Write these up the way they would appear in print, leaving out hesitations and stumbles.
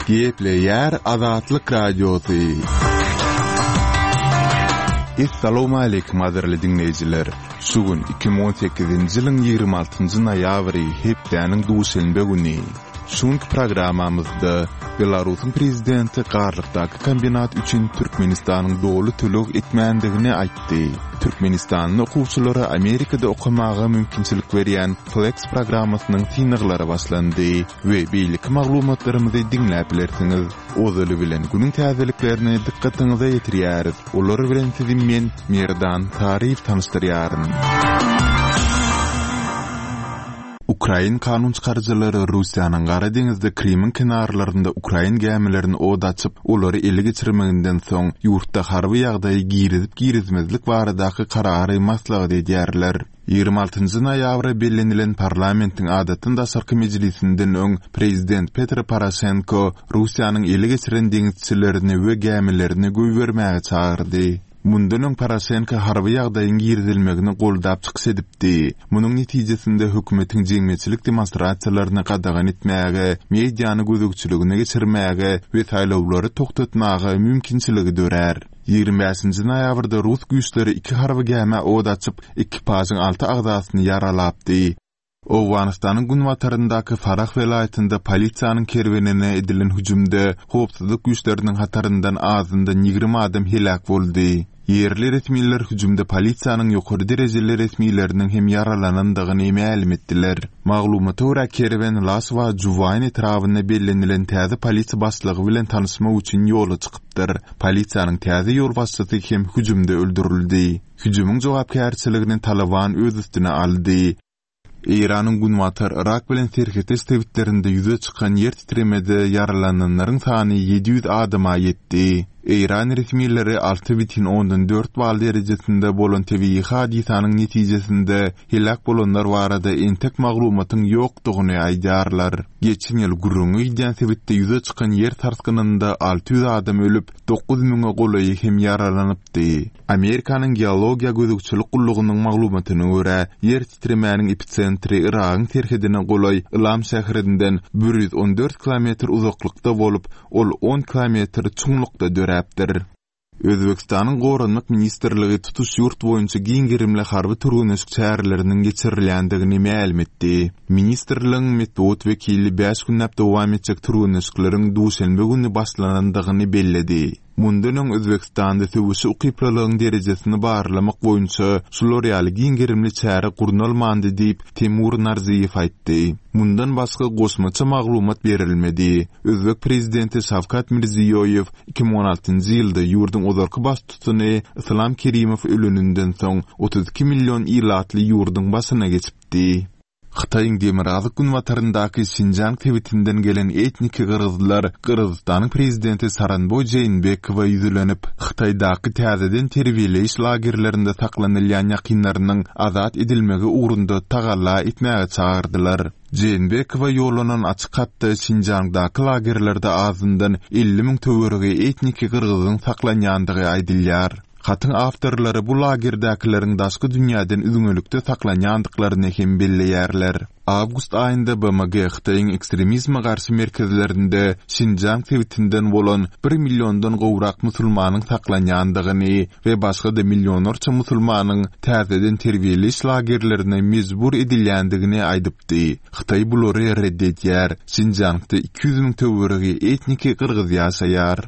Gepleýär Azatlyk Radiosy. Essalawmaleýkim gadyrly diňleýjiler! Şu gün 2018-nji ýylyň 26-njy noýabry, hepdäniň duşenbe güni. Şu günki programmamyzda Belarusyň prezidenti Garlykdaky kombinat üçin Türkmenistanyň doly töleg etmändigini aýtdy. Türkmenistanly okuwçylara Amerikada okamaga mümkinçilik berýän Flex programmasynyň synaglary başlandy we beýleki maglumatlarymyzy diňläp bilersiňiz. Ozaly bilen günüň täzeliklerini dykgatyňyza ýetirýäris. Olar bilen sizi men, Merdan Saryýew tanyşdyrýaryn. Ukrain kanun çykaryjylary Russiýanyň Gara deňizde Krymyň kenarlarynda ukrain gämilerini od açyp, olary ele geçirmeginden soň, ýurtda harby ýagdaýy girizip-girizmezlik baradaky karary maslahat edýärler. 26 njy noýabra bellenilen parlamentiň adatdan daşarky mejlisinden öň prezident Petro Poroşenko Russiýanyň ele geçiren deňizçilerini we gämilerini goýbermäge çagyrdy. Mundan öň Poroşenko harby ýagdaýyň girizilmegini goldap çykyş edipdi. Munuň netijesinde hökümetiň jemgyýetçilik demonstrasiýalaryny gadagan etmäge, mediany gözegçiligine geçirmäge we saýlawlary togtatmaga mümkinçiligi dörär. 25 nji noýabrda rus güýçleri iki harby gämä od açyp, ekipažyň alty agzasyny ýaralapdy. Owganystanyň günbataryndaky Farah welaýatynda polisiýanyň kerwenine edilen hüjümde howpsuzlyk güýçleriniň hataryndan azyndan 20 adam heläk boldy. Ýerli resmiler hüjümde polisiýanyň ýokary derejeli resmileriniň hem ýaralanandygyny mälim etdiler. Maglumata görä, kerwen Laswa Juwaýn etrabynda bellenilen täze polisiýa başlygy bilen tanyşmak üçin ýola çykypdyr. Polisiýanyň täze ýolbaşçysy hem hüjümde öldürildi. Hüjümiň jogapkärçiligini Talyban öz üstüne aldy. Eýranyň günbatar Yrak bilen serhetdeş sebitlerinde ýüze çykan ýer titremede ýaralananlaryň sany 700 adama ýetdi. Eýran resmileri 6,4 bal derejesinde bolan tebigy hadysanyň netijesinde heläk bolanlar barada entek maglumatyň ýokdugyny aýdýarlar. Geçen ýyl gürrüňi gidýän sebitde ýüze çykan ýer sarsgynynda 600 adam ölüp, 9 müňe golaýy hem ýaralanypdy. Amerikanyň Geologiýa gözegçilik gullugynyň maglumatyna görä, ýer titremäniň episentri Yragyň serhedine golaý Ylam şäherinden 114 kilometr uzaklykda bolup, ol on kilometr çuňlukda döräpdir. Özbegistanyň Goranmak ministrligi tutuş ýurt boýunça giň gerimli harby türgenleşik çäreleriniň geçirilýändigini mälim etdi. Ministrligiň metbugat wekili bäş günläp dowam etjek türgenleşikleriň duşenbe güni başlanandygyny belledi. Mundan öň Özbegistanda söweşe ukyplylygyň derejesini barlamak boýunça şular ýaly giň gerimli çäre gurnalmandy diýip, Temur Narziýew aýtdy. Mundan başga goşmaça maglumat berilmedi. Özbek prezidenti Şawkat Mirziýoýew 2016-njy ýylda ýurduň ozalky baştutany Yslam Kerimow öleninden soň 32 million ilatly ýurduň başyna geçipdi. Hytaýyň demirgazyk-günbataryndaky Şinjiang sebitinden gelen etniki gyrgyzlar Gyrgyzystanyň prezidenti Soronboý Jeýnbekowa ýüzlenip, Hytaýdaky täzeden terbiýeleýiş lagerlerinde saklanylýan ýakynlarynyň azat edilmegi ugrunda tagalla etmäge çagyrdylar. Jeýnbekowa ýollanan açyk hatda Şinjiangdaky lagerlerde azyndan 50 müň töweregi etniki gyrgyzyň saklanýandygy aýdylýar. Hatyň awtorlary bu lagerdäkileriň daşky dünýäden üzňelikde saklanýandyklaryny hem belleýärler. Awgust aýynda BMG Hytaýyň ekstremizme garşy merkezlerinde Şinjiang sebitinden bolan bir milliondan gowrak musulmanyň saklanýandygyny we başga-da millionlarça musulmanyň täzeden terbiýeleýiş lagerlerine mejbur edilýändigini aýdypdy. Hytaý bulary red edýär. Şinjiangda 200 müň töweregi etniki gyrgyz ýaşaýar.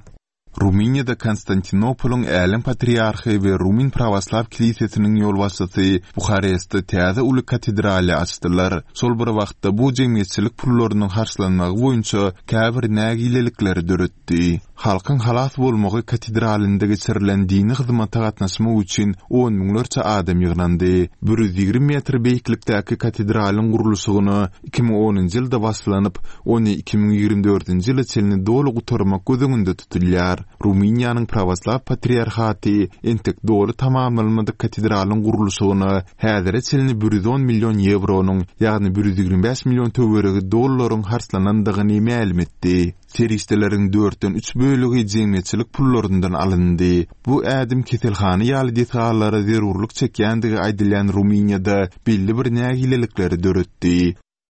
Rumyniýada Konstantinopolyň Älem patriarhy we Rumyn prawoslaw kilisesiniň ýolbaşçysy Buharestde täze uly katedraly açdylar. Şol bir wagtda bu jemgyýetçilik pullarynyň harçlanmagy boýunça käbir nägilelikleri döretdi. Halkyň halas bolmagy katedralynda geçirilen dini hyzmata gatnaşmak üçin on müňlerçe adam ýygnandy. 120 metr beýiklikdäki katedralyň gurluşygyna 2010-njy ýylda başlanyp, ony 2024-nji ýyla çenli doly gutarmak göz öňünde tutulýar. Rumyniýanyň Prawoslaw patriarhaty entek doly tamamlanmadyk katedralyň gurluşygyna häzire çenli 110 million ýewronyň, ýagny 125 million töweregi dollaryň harçlanandygyny mälim etdi. Serişdeleriň dörtden üç bölegi jemgyýetçilik pullaryndan alyndy. Bu ädim keselhana ýaly desgalara zerurlyk çekýändigi aýdylýan Rumyniýada belli bir nägilelikleri döretdi.